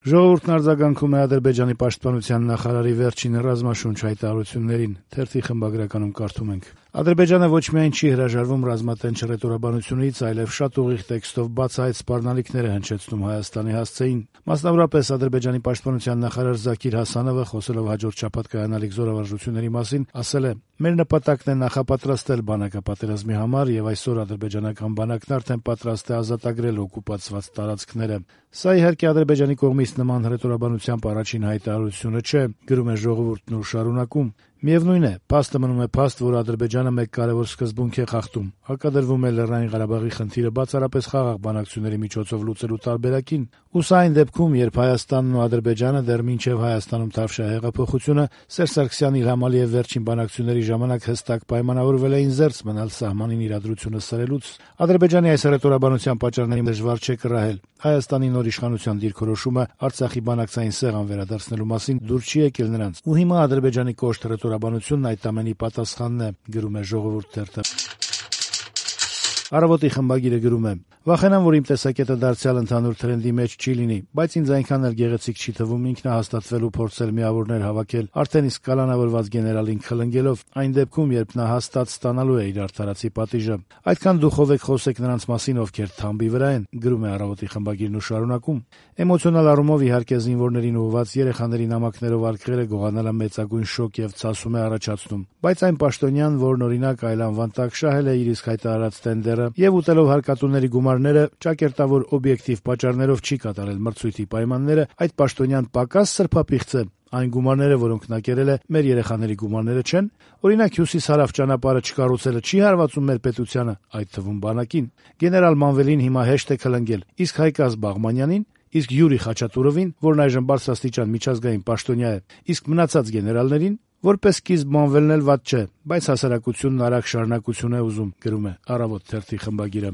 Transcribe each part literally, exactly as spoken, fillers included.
Ժողովուրդն արձագանքում է Ադրբեջանի պաշտպանության նախարարի վերջին ռազմաշունչ հայտարարություններին։ Թերթի խմբագրականում կարդում ենք. Ադրբեջանը ոչ միայն չի հրաժարվում ռազմատենչ հռետորաբանությունից, այլև շատ ուղիղ տեքստով բացահայտ սպառնալիքներ է հնչեցնում Հայաստանի հասցեին։ Մասնավորապես Ադրբեջանի պաշտպանության նախարար Զաքիր Հասանովը, խոսելով հաջորդ շաբաթ կայանալիք զորավարժությունների մասին, ասել է. «Մեր նպատակն է նախապատրաստել բանակապատերազմի համար, եւ այսօր ադրբեջանական բանակն արդեն պատրաստ է ազատագրել օկուպացված տարածքները»։ Սա իհարկե Ադրբեջանի կողմից նման հռետորաբանությամբ առաջին հայտարարությունը չէ, գրում է Ժողովուրդն ու շարունակում. «Միևնույն է, փաստը մնում է փաստ, որ Ադրբեջանը մեկ կարևոր սկզբունք է խախտում. հակադրվում է Լեռնային Ղարաբաղի խնդիրը բացառապես խաղաղ բանակցությունների միջոցով լուծելու տարբերակին։ Ու սա այն դեպքում, երբ Հայաստանն ու Ադրբեջանը դեռ մինչև Հայաստանում Թավշյա հեղափոխությունը Սերժ Սարգսյանն Իլհամ Ալիև վերջին բանակցությունների ժամանակ հստակ պայմանավորվել էին զերծ մնալ սահմանին իրադրությունը սրելուց։ Ադրբեջանի այս հռետորաբանության պատճառների դժվար չէ կռահել։ Հայաստանի նոր իշխանության դիրքորոշումը Արցախի բանակցային սեղան վերադարձնելու մասին դուր չի եկել նրանց, ու հիմա Ադրբեջանի կոշտ հռետորաբանությունն այդ ամենի պատասխանն է», գրում է Ժողովուրդ թերթը։ Առավոտի խմբագիրը գրում է. «Վախենամ, որ իմ տեսակետը դարձյալ ընդհանուր թրենդի մեջ չի լինի, բայց ինձ այնքան էլ գեղեցիկ չի թվում ինքնահաստատվել ու փորձել միավորներ հավաքել, արդեն իսկ կալանավորված գեներալին խլնգելով, այն դեպքում, երբ նա հաստատ ստանալու է իր արդարացի պատիժը։ Այդքան դուխով եք խոսեք նրանց մասին, ովքեր թամբի վրա են», գրում է Առավոտի խմբագիրն ու շարունակում. «Էմոցիոնալ առումով իհարկե զինվորներին ուղղված երեխաների նամակներով արգելը գողանալը մեծագույն շոկ եւ ցասում է առաջացնում, բայց այն պաշտոնյան, որն օրինակ այլ անվան տակ շահել է իր իսկ հայտարարած տենդերը եւ ուտելով հարկատուների գումարները, ճակերտավոր օբյեկտիվ պատճառներով չի կատարել մրցույթի պայմանները, այդ պաշտոնյան պակաս սրբապիղծ է։ Այն գումարները, որոնք նա կերել է, մեր երեխաների գումարները չեն։ Օրինակ հյուսիս-հարավ ճանապարհը չկառուցելը չի հարվածում մեր պետությանը, այդ թվում բանակին։ Գեներալ Մանվելին հիմա հեշտ է քլնգել, իսկ Հայկազ Բաղմանյանին, իսկ Յուրի Խաչատուրովին, որն այժմ բարձրաստիճան միջազգային պաշտոնյա է, իսկ մնացած գեներալներին, որպես սկիզբ Մանվելն էլ վատ չէ, բայց հասարակությունն արագ շարունակություն է ուզում», գրում է Առավոտ թերթի խմբագիրը։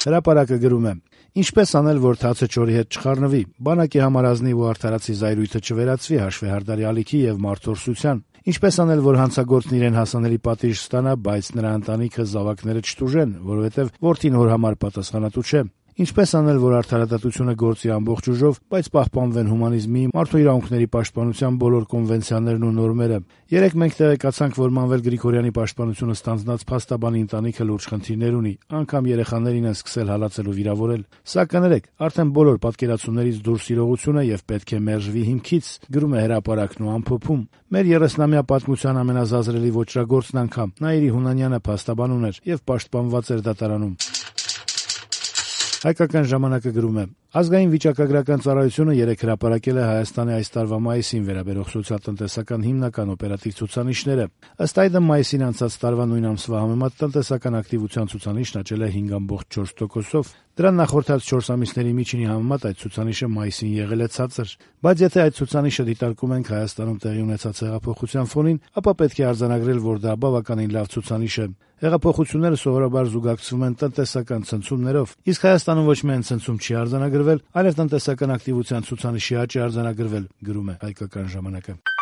Հրապարակը գրում է. «Ինչպես անել, որ թացը չորի հետ չխառնվի, բանակի համար ազնիվ ու արդարացի զայրույթը չվերածվի հաշվեհարդարի ալիքի եւ մարդորսության։ Ինչպես անել, որ հանցագործն իրեն հասանելի պատիժ ստանա, բայց նրա ընտանիքը զավակները չտուժեն, որովհետեւ որդին հոր համար պատասխանատու չէ։ Ինչպես անել, որ արդարադատությունը գործի ամբողջ ուժով, բայց պահպանվեն հումանիզմի, մարդու իրավունքների պաշտպանության բոլոր կոնվենցիաներն ու նորմերը։ Երեկ մենք տեղեկացանք, որ Մանվել Գրիգորյանի պաշտպանությունը ստանձնած փաստաբանի ընտանիքը լուրջ խնդիրներ ունի, անգամ երեխաներին են սկսել հալածել ու վիրավորել։ Սա կներեք, արդեն բոլոր պատկերացումներից դուրս իրողություն է եւ պետք է մերժվի հիմքից», գրում է Հրապարակն ու ամփոփում. «Մեր երեսնամյա պատմության ամենազազրելի ոճրագործն անգամ Նաիրի Հունանյանը փաստաբան ուներ եւ պաշտպանված էր դատարանում»։ Հայկական ժամանակը գրում է. «Ազգային վիճակագրական ծառայությունը երեկ հրապարակել է Հայաստանի այս տարվա մայիսին վերաբերող սոցիալ-տնտեսական հիմնական օպերատիվ ցուցանիշները։ Ըստ այդմ մայիսին անցած տարվա նույն ամսվա համեմատ տնտեսական ակտիվության ցուցանիշն աճել է հինգ կoma չորս տոկոսով։ Դրան նախորդած չորս ամիսների միջինի համեմատ այդ ցուցանիշը մայիսին եղել է ցածր։ Բայց եթե այդ ցուցանիշը դիտարկում ենք Հայաստանում տեղի ունեցած հեղափոխության ֆոնին, ապա պետք է արձանագրել, որ դա բավականին լավ ցուցանիշ է։ Հեղափոխությունները սովորաբար զուգակցվում են տնտեսական ցնցումներով, իսկ Հայաստանում ոչ միայն ցնցում չի արձանագրվել, այլև տնտեսական ակտիվության ցուցանիշի աճ է արձանագրվել», գրում է Հայկական ժամանակը։